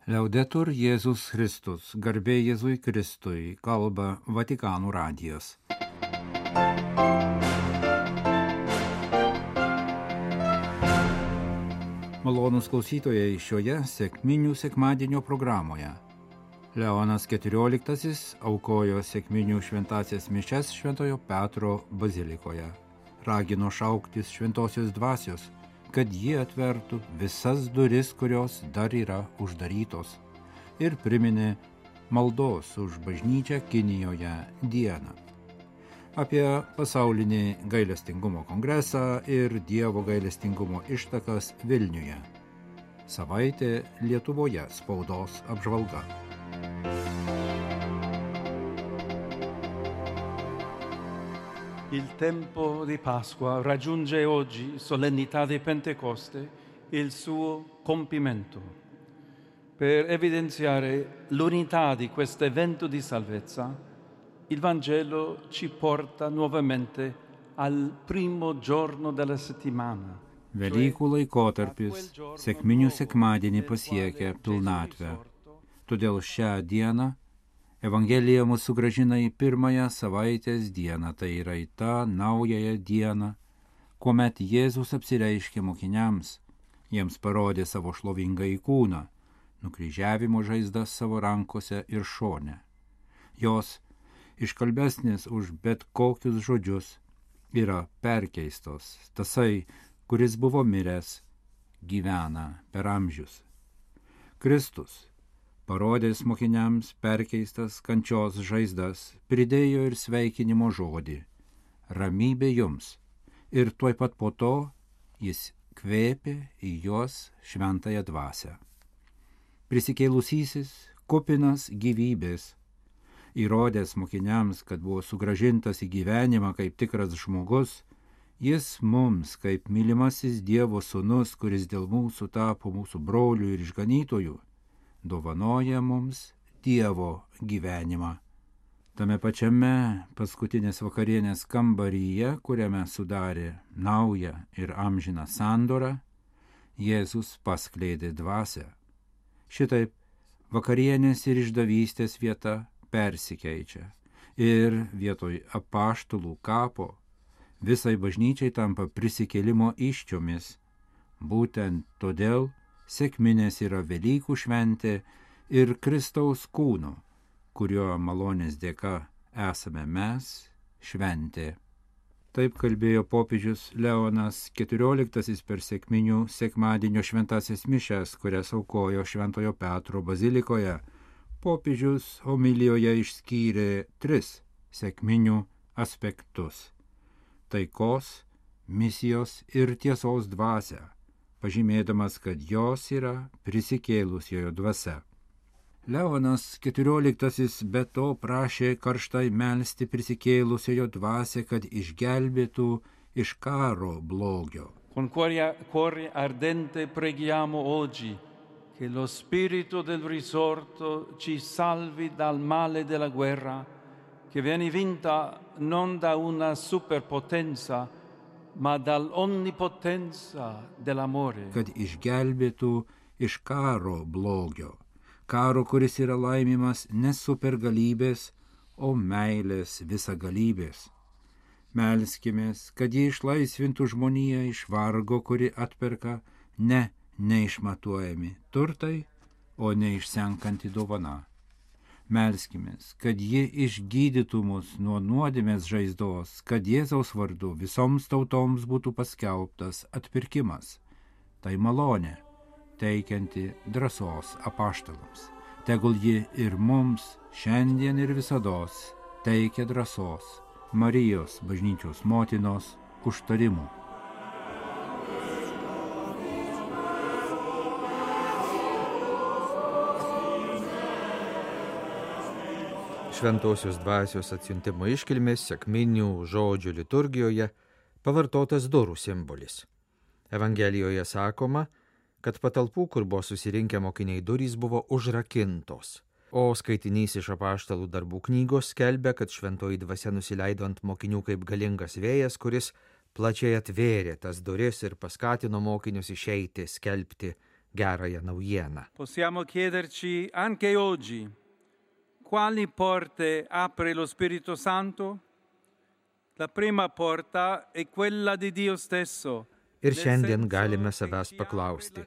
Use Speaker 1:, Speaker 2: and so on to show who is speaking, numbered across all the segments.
Speaker 1: Liaudetur Jėzus Kristus, garbė Jėzui Kristui, kalba Vatikano radijas. Malonūs klausytojai šioje sekminių sekmadienio programoje. Leonas XIV aukojo sekminių šventasias mišias Šventojo Petro bazilikoje. Ragino šauktis šventosios dvasios, kad jie atvertų visas duris, kurios dar yra uždarytos, ir priminė maldos už bažnyčią Kinijoje dieną. Apie pasaulinį gailestingumo kongresą ir Dievo gailestingumo ištakas Vilniuje. Savaitė Lietuvoje spaudos apžvalga.
Speaker 2: Il tempo di Pasqua raggiunge oggi, solennità di Pentecoste, il suo compimento. Per evidenziare l'unità di questo evento di salvezza, il Vangelo ci porta nuovamente al primo giorno della settimana.
Speaker 1: Velykų laikotarpis sekminių sekmadienį pasiekia pilnatvę. Todėl šią dieną Evangelija mus sugrąžina į pirmąją savaitės dieną, tai yra į tą naująją dieną, kuomet Jėzus apsireiškė mokiniams, jiems parodė savo šlovingąjį kūną, nukryžiavimo žaizdas savo rankose ir šone. Jos, iškalbesnės už bet kokius žodžius, yra perkeistos. Tasai, kuris buvo miręs, gyvena per amžius. Kristus, parodęs mokiniams perkeistas kančios žaizdas, pridėjo ir sveikinimo žodį – ramybė jums. Ir tuoj pat po to jis kvėpė į juos šventąją dvasią. Prisikėlusysis, kupinas gyvybės, įrodęs mokiniams, kad buvo sugrąžintas į gyvenimą kaip tikras žmogus, jis mums, kaip mylimasis Dievo sūnus, kuris dėl mūsų tapo mūsų brolių ir išganytojų, dovanoja mums Dievo gyvenimą. Tame pačiame paskutinės vakarienės kambaryje, kuriame sudarė naują ir amžiną sandorą, Jėzus paskleidė dvasią. Šitaip vakarienės ir išdavystės vieta persikeičia ir vietoj apaštalų kapo visai bažnyčiai tampa prisikėlimo iščiomis. Būtent todėl sekminės yra Velykų šventė ir Kristaus kūno, kurio malonės dėka esame mes, šventė. Taip kalbėjo popiežius Leonas XIV per sekminių sekmadienio šventasias mišias, kurias aukojo Šventojo Petro bazilikoje. Popiežius homilijoje išskyrė 3 sekminių aspektus – taikos, misijos ir tiesos dvasią, pažymėdamas, kad jos yra prisikėlusiojo dvasia. Leonas XIV be to prašė karštai melsti prisikėlusiojo dvasią, kad išgelbėtų iš karo blogio.
Speaker 2: Con cuore ardente preghiamo oggi che lo spirito del risorto ci salvi dal male della guerra, che viene vinta non da una superpotenza, ma dall'onnipotenza dell'amore.
Speaker 1: Kad išgelbėtų iš karo blogio. Karo, kuris yra laimimas ne supergalybės, o meilės visagalybės. Melskimės, kad jie išlaisvintų žmoniją iš vargo, kuri atperka ne neišmatuojami turtai, o neišsenkanti dovana. Melskimės, kad ji išgydytų mus nuo nuodėmės žaizdos, kad Jėzaus vardu visoms tautoms būtų paskelbtas atpirkimas. Tai malonė, teikianti drąsos apaštalams. Tegul ji ir mums šiandien ir visados teikia drąsos Marijos bažnyčios motinos užtarimų.
Speaker 3: Šventosios dvasios atsiuntimo iškilmės sekminių žodžių liturgijoje pavartotas durų simbolis. Evangelijoje sakoma, kad patalpų, kur buvo susirinkę mokiniai durys, buvo užrakintos, o skaitinys iš apaštalų darbų knygos skelbia, kad šventoji dvasia nusileido ant mokinių kaip galingas vėjas, kuris plačiai atvėrė tas duris ir paskatino mokinius išeiti, skelbti gerąją naujieną.
Speaker 2: Possiamo chiederci anche oggi quali porte apre lo Spirito Santo? La prima porta è quella di Dio stesso.
Speaker 3: Ir šiandien galime savęs paklausti,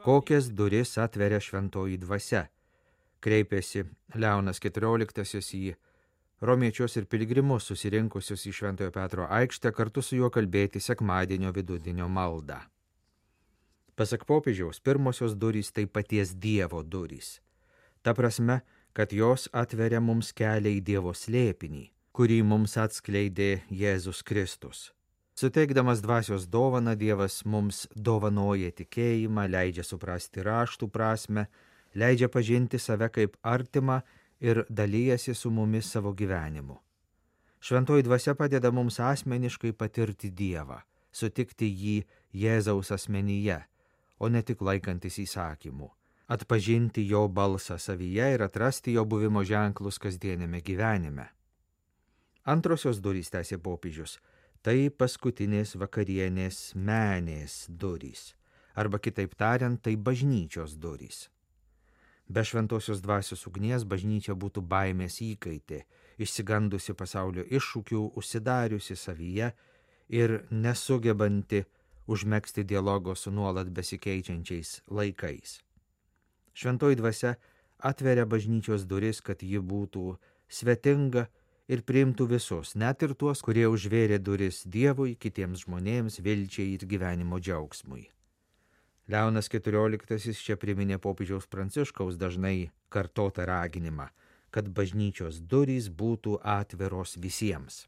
Speaker 3: kokias duris atveria šventoji dvasia. Kreipėsi Leonas XIV į romiečius ir piligrimus susirinkusius į Šventojo Petro aikštę kartu su juo kalbėti sekmadienio vidudienio maldą. Pasak popiežiaus, pirmosios durys tai paties Dievo durys. Ta prasme, kad jos atveria mums kelią į Dievo slėpinį, kurį mums atskleidė Jėzus Kristus. Suteikdamas dvasios dovaną, Dievas mums dovanoja tikėjimą, leidžia suprasti raštų prasme, leidžia pažinti save kaip artimą ir dalyjasi su mumis savo gyvenimu. Šventoji dvasia padeda mums asmeniškai patirti Dievą, sutikti jį Jėzaus asmenyje, o ne tik laikantis įsakymų, atpažinti jo balsą savyje ir atrasti jo buvimo ženklus kasdienėme gyvenime. Antrosios durys, tęsė popiežius, tai paskutinės vakarienės menės durys, arba kitaip tariant, tai bažnyčios durys. Be šventosios dvasios ugnies bažnyčia būtų baimės įkaitė, išsigandusi pasaulio iššūkių, užsidariusi savyje ir nesugebanti užmegzti dialogo su nuolat besikeičiančiais laikais. Šventoji dvasia atveria bažnyčios duris, kad ji būtų svetinga ir priimtų visus, net ir tuos, kurie užvėrė duris Dievui, kitiems žmonėms, vilčiai ir gyvenimo džiaugsmui. Leonas XIV čia priminė popiežiaus Pranciškaus dažnai kartotą raginimą, kad bažnyčios durys būtų atviros visiems.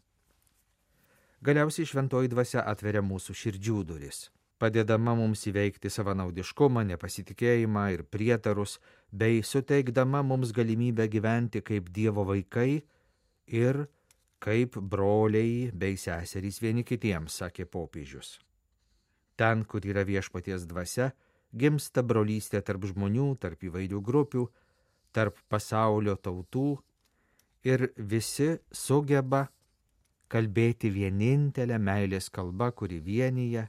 Speaker 3: Galiausiai šventoji dvasia atveria mūsų širdžių duris, padėdama mums įveikti savanaudiškumą, nepasitikėjimą ir prietarus, bei suteikdama mums galimybę gyventi kaip Dievo vaikai ir kaip broliai bei seserys vieni kitiems, sakė popiežius. Ten, kur yra viešpaties dvasia, gimsta brolystė tarp žmonių, tarp įvairių grupių, tarp pasaulio tautų ir visi sugeba kalbėti vienintelę meilės kalbą, kuri vienyje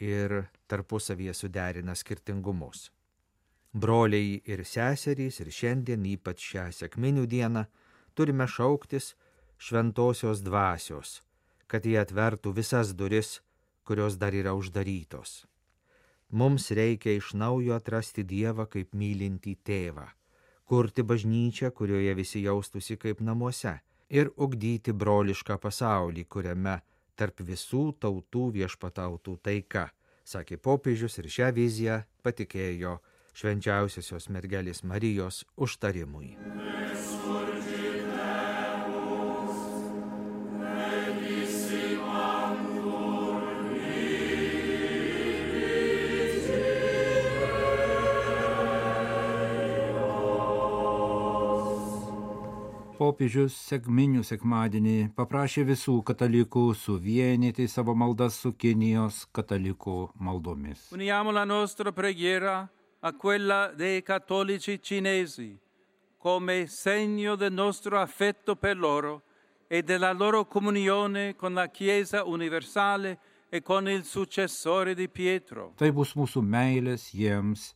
Speaker 3: ir tarpusavyje suderina skirtingumus. Broliai ir seserys ir šiandien, ypač šią sekminių dieną, turime šauktis šventosios dvasios, kad jie atvertų visas duris, kurios dar yra uždarytos. Mums reikia iš naujo atrasti Dievą kaip mylintį tėvą, kurti bažnyčią, kurioje visi jaustųsi kaip namuose, ir ugdyti brolišką pasaulį, kuriame tarp visų tautų viešpatautų taika, sakė popiežius ir šią viziją patikėjo švenčiausiosios mergelės Marijos užtarimui.
Speaker 1: Popiežius sekminių sekmadienį paprašė visų katalikų suvienyti savo maldas su Kinijos katalikų maldomis.
Speaker 2: Uniamo la nostra preghiera a quella dei cattolici cinesi come segno del nostro affetto per loro e della loro comunione con la Chiesa universale e con il successore di Pietro.
Speaker 1: Tai bus mūsų meilės jiems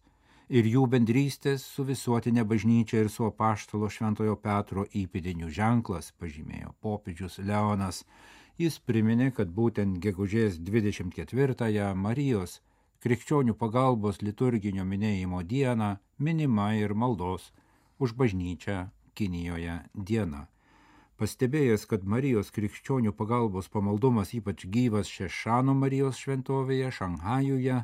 Speaker 1: ir jų bendrystės su visuotinė bažnyčia ir su apaštalo Šventojo Petro įpėdinių ženklas, pažymėjo popiežius Leonas. Jis priminė, kad būtent gegužės 24-ąją Marijos krikščionių pagalbos liturginio minėjimo dieną minima ir maldos už bažnyčią Kinijoje diena. Pastebėjęs, kad Marijos krikščionių pagalbos pamaldumas ypač gyvas Šešano Marijos šventovėje Šanhajuje,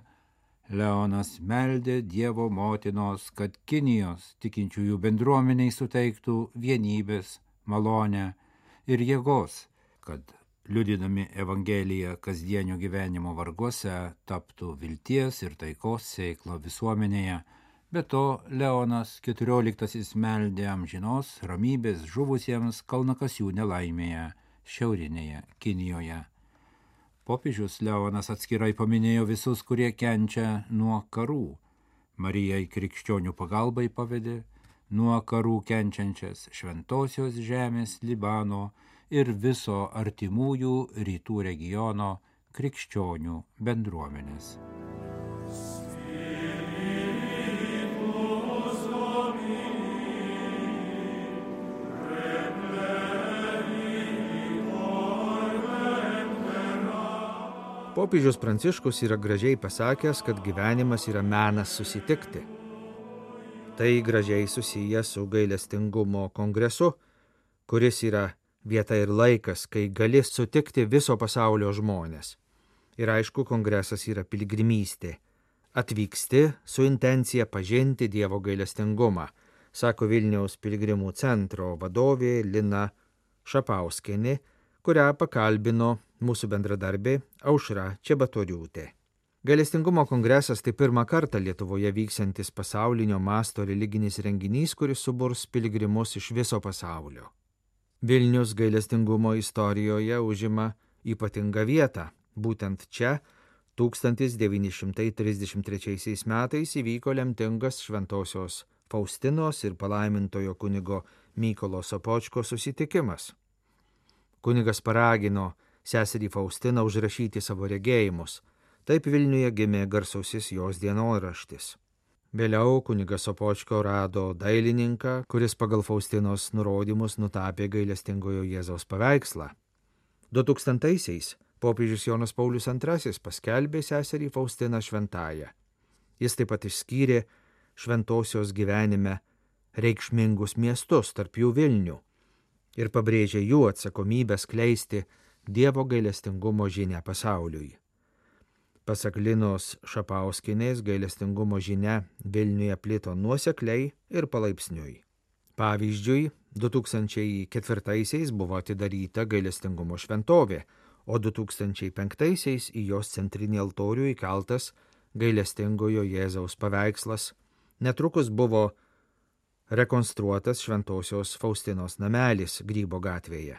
Speaker 1: Leonas meldė Dievo motinos, kad Kinijos tikinčiųjų bendruomeniai suteiktų vienybės, malonę ir jėgos, kad liudydami Evangeliją kasdienio gyvenimo varguose taptų vilties ir taikos sėkla visuomenėje. Be to, Leonas XIV meldė amžinos ramybės žuvusiems kalnakasių nelaimėje šiaurinėje Kinijoje. Popiežius Leonas atskirai paminėjo visus, kurie kenčia nuo karų. Marijai krikščionių pagalbai pavedė nuo karų kenčiančias šventosios žemės Libano ir viso artimųjų rytų regiono krikščionių bendruomenės.
Speaker 3: Popiežius Pranciškus yra gražiai pasakęs, kad gyvenimas yra menas susitikti. Tai gražiai susiję su gailestingumo kongresu, kuris yra vieta ir laikas, kai gali sutikti viso pasaulio žmonės. Ir aišku, kongresas yra piligrimystė. Atvyksti su intencija pažinti Dievo gailestingumą, sako Vilniaus piligrimų centro vadovė Lina Šapauskienė, kurią pakalbino mūsų bendradarbė Aušra Čebatoriūtė. Gailestingumo kongresas tai pirmą kartą Lietuvoje vyksiantis pasaulinio masto religinis renginys, kuris suburs piligrimus iš viso pasaulio. Vilnius gailestingumo istorijoje užima ypatingą vietą. Būtent čia 1933 metais įvyko lemtingas šventosios Faustinos ir palaimintojo kunigo Mykolo Sopočko susitikimas. Kunigas paragino seserį Faustiną užrašyti savo regėjimus. Taip Vilniuje gimė garsusis jos dienoraštis. Vėliau kunigas Sopočko rado dailininką, kuris pagal Faustinos nurodymus nutapė gailestingojo Jėzaus paveikslą. 2000-aisiais popiežius Jonas Paulius II paskelbė seserį Faustiną šventąją. Jis taip pat išskyrė šventosios gyvenime reikšmingus miestus, tarp jų Vilnių, ir pabrėžė jų atsakomybę skleisti Dievo gailestingumo žinią pasauliui. Pasak Linos Šapauskienės, gailestingumo žinia Vilniuje plito nuosekliai ir palaipsniui. Pavyzdžiui, 2004-aisiais buvo atidaryta gailestingumo šventovė, o 2005-aisiais į jos centrinį altorių įkeltas gailestingojo Jėzaus paveikslas. Netrukus buvo rekonstruotas šventosios Faustinos namelis Grybo gatvėje.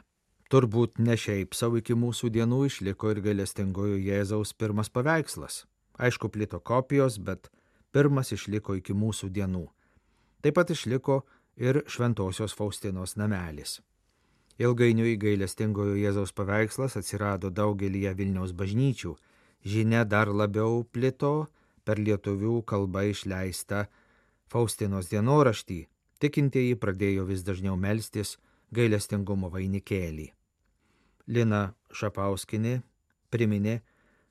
Speaker 3: Turbūt ne šiaip savo iki mūsų dienų išliko ir gailestingojo Jėzaus pirmas paveikslas. Aišku, plito kopijos, bet pirmas išliko iki mūsų dienų. Taip pat išliko ir šventosios Faustinos namelis. Ilgainiui gailestingojo Jėzaus paveikslas atsirado daugelyje Vilniaus bažnyčių. Žinia dar labiau plito per lietuvių kalbą išleistą Faustinos dienoraštį. Tikintieji pradėjo vis dažniau melstis gailestingumo vainikėlį. Lina Šapauskienė priminė,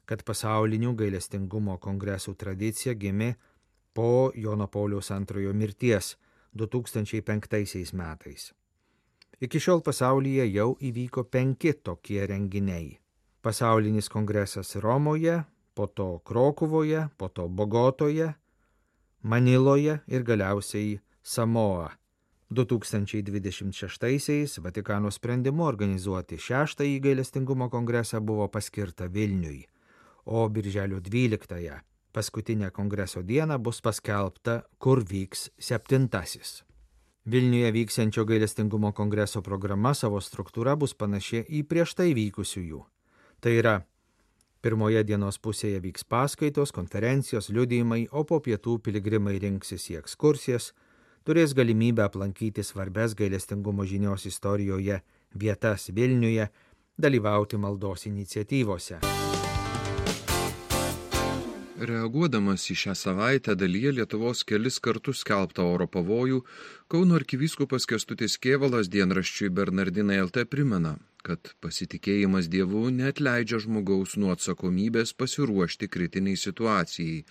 Speaker 3: kad pasaulinių gailestingumo kongresų tradicija gimė po Jono Pauliaus II mirties 2005 metais. Iki šiol pasaulyje jau įvyko 5 tokie renginiai. Pasaulinis kongresas Romoje, po to Krokuvoje, po to Bogotoje, Maniloje ir galiausiai Samoa. 2026-aisiais Vatikano sprendimu organizuoti 6-ąjį gailestingumo kongresą buvo paskirta Vilniui, o birželio 12-ąją, paskutinę kongreso dieną, bus paskelbta, kur vyks 7-asis. Vilniuje vyksiančio gailestingumo kongreso programa savo struktūra bus panaši į prieš tai vykusiųjų. Tai yra, pirmoje dienos pusėje vyks paskaitos, konferencijos, liudijimai, o po pietų piligrimai rinksis į ekskursijas, turės galimybę aplankyti svarbes gailestingumo žinios istorijoje vietas Vilniuje, dalyvauti maldos iniciatyvose.
Speaker 4: Reaguodamas į šią savaitę dalyje Lietuvos kelis kartus skelbtą oro pavojų, Kauno arkivyskupas Kęstutis Kėvalas dienraščiui Bernardinai LT primena, kad pasitikėjimas Dievu neatleidžia žmogaus nuo atsakomybės pasiruošti kritiniai situacijai,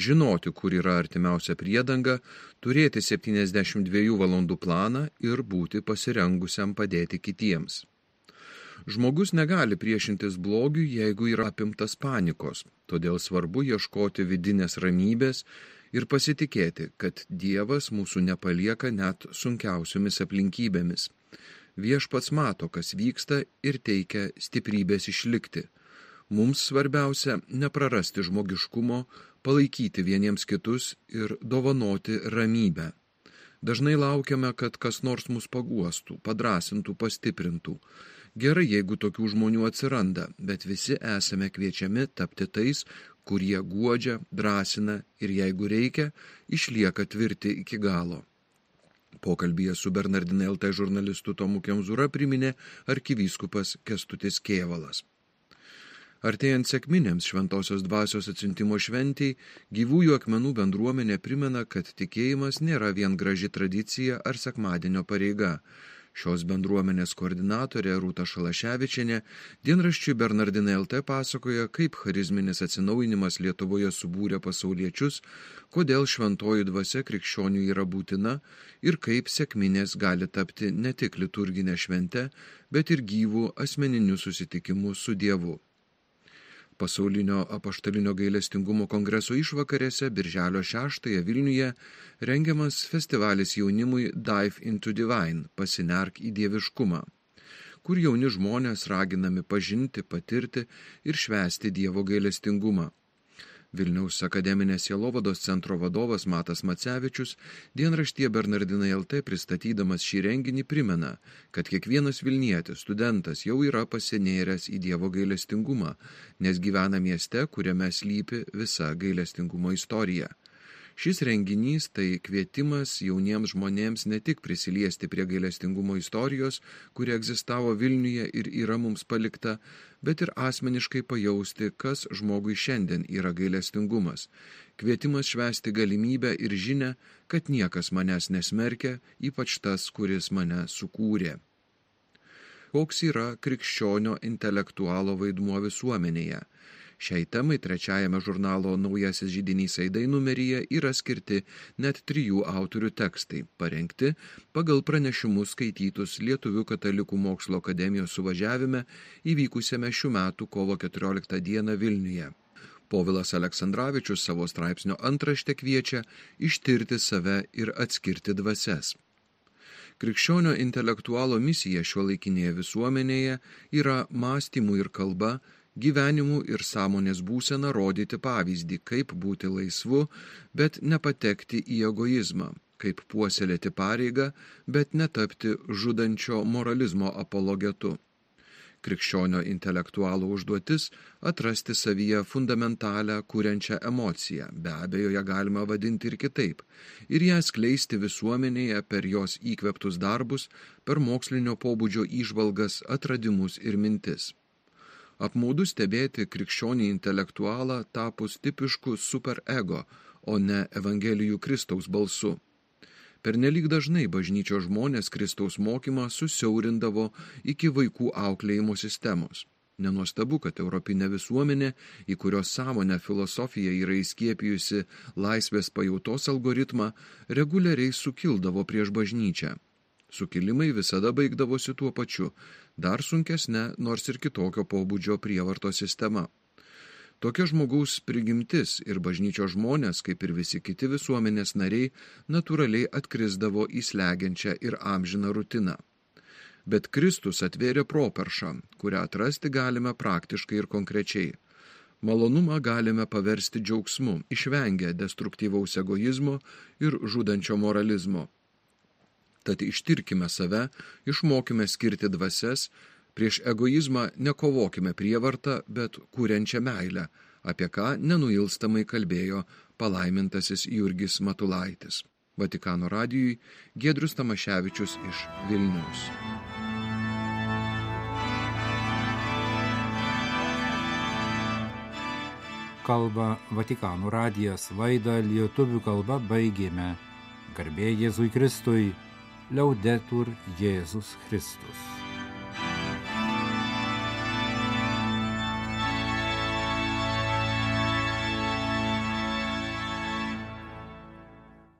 Speaker 4: žinoti, kur yra artimiausia priedanga, turėti 72 valandų planą ir būti pasirengusiam padėti kitiems. Žmogus negali priešintis blogiui, jeigu yra apimtas panikos, todėl svarbu ieškoti vidinės ramybės ir pasitikėti, kad Dievas mūsų nepalieka net sunkiausiomis aplinkybėmis. Viešpats mato, kas vyksta ir teikia stiprybės išlikti. Mums svarbiausia neprarasti žmogiškumo, palaikyti vieniems kitus ir dovanoti ramybę. Dažnai laukiame, kad kas nors mus paguostų, padrasintų, pastiprintų. Gerai, jeigu tokių žmonių atsiranda, bet visi esame kviečiami tapti tais, kurie guodžia, drąsina ir jeigu reikia, išlieka tvirti iki galo. Pokalbyje su Bernardinai LT žurnalistu Tomu Kemzūra priminė arkivyskupas Kęstutis Kėvalas. Artėjant sekminėms šventosios dvasios atsiuntimo šventei, Gyvųjų akmenų bendruomenė primena, kad tikėjimas nėra vien graži tradicija ar sekmadienio pareiga. Šios bendruomenės koordinatorė Rūta Šalaševičienė dienraščiui Bernardinai LT pasakoja, kaip charizminis atsinaujinimas Lietuvoje subūrė pasauliečius, kodėl šventoji dvasia krikščionių yra būtina ir kaip sekminės gali tapti ne tik liturginė švente, bet ir gyvų asmeninių susitikimų su Dievu. Pasaulinio apaštalinio gailestingumo kongreso išvakarėse birželio 6 Vilniuje rengiamas festivalis jaunimui Dive into Divine – pasinerk į dieviškumą, kur jauni žmonės raginami pažinti, patirti ir švęsti Dievo gailestingumą. Vilniaus akademinės sielovados centro vadovas Matas Macevičius dienraštyje Bernardinai LT pristatydamas šį renginį primena, kad kiekvienas Vilnietis, studentas jau yra pasinėręs į Dievo gailestingumą, nes gyvena mieste, kuriame slypi visa gailestingumo istorija. Šis renginys tai kvietimas jauniems žmonėms ne tik prisiliesti prie gailestingumo istorijos, kuri egzistavo Vilniuje ir yra mums palikta, bet ir asmeniškai pajausti, kas žmogui šiandien yra gailestingumas. Kvietimas švęsti galimybę ir žinią, kad niekas manęs nesmerkia, ypač tas, kuris mane sukūrė. Koks yra krikščionio intelektualo vaidmuo visuomenėje? Šiai temai trečiajame žurnalo Naujasis židinys aidai numeryje yra skirti net 3 autorių tekstai, parengti pagal pranešimus skaitytus Lietuvių katalikų mokslo akademijos suvažiavime įvykusiame šių metų kovo 14 dieną Vilniuje. Povilas Aleksandravičius savo straipsnio antrašte kviečia ištirti save ir atskirti dvasias. Krikščionio intelektualo misija šiuolaikinėje visuomenėje yra mąstymų ir kalba, gyvenimų ir sąmonės būseną rodyti pavyzdį, kaip būti laisvu, bet nepatekti į egoizmą, kaip puoselėti pareigą, bet netapti žudančio moralizmo apologetu. Krikščionio intelektualo užduotis – atrasti savyje fundamentalią kuriančią emociją, be abejo ją galima vadinti ir kitaip, ir ją skleisti visuomenėje per jos įkvėptus darbus, per mokslinio pobūdžio įžvalgas, atradimus ir mintis. Apmaudu stebėti krikščionį intelektualą tapus tipišku superego, o ne Evangelijų Kristaus balsu. Pernelyg dažnai bažnyčios žmonės Kristaus mokymą susiaurindavo iki vaikų auklėjimo sistemos. Nenuostabu, kad europinė visuomenė, į kurios sąmonę filosofija yra įskiepijusi laisvės pajautos algoritmą, reguliariai sukildavo prieš bažnyčią. Sukilimai visada baigdavosi tuo pačiu, dar sunkesne, nors ir kitokio pobūdžio prievarto sistema. Tokia žmogaus prigimtis ir bažnyčios žmonės, kaip ir visi kiti visuomenės nariai, natūraliai atkrisdavo į slegiančią ir amžiną rutiną. Bet Kristus atvėrė properšą, kurią atrasti galime praktiškai ir konkrečiai. Malonumą galime paversti džiaugsmu, išvengę destruktyvaus egoizmo ir žudančio moralizmo. Tad ištirkime save, išmokime skirti dvasias, prieš egoizmą nekovokime prievartą, bet kuriančią meilę, apie ką nenuilstamai kalbėjo palaimintasis Jurgis Matulaitis. Vatikano radijui Giedrius Tamaševičius iš Vilniaus.
Speaker 1: Kalba Vatikano radijas, laidą lietuvių kalba baigėme. Garbė Jėzui Kristui. Liaudetur Jėzus Kristus.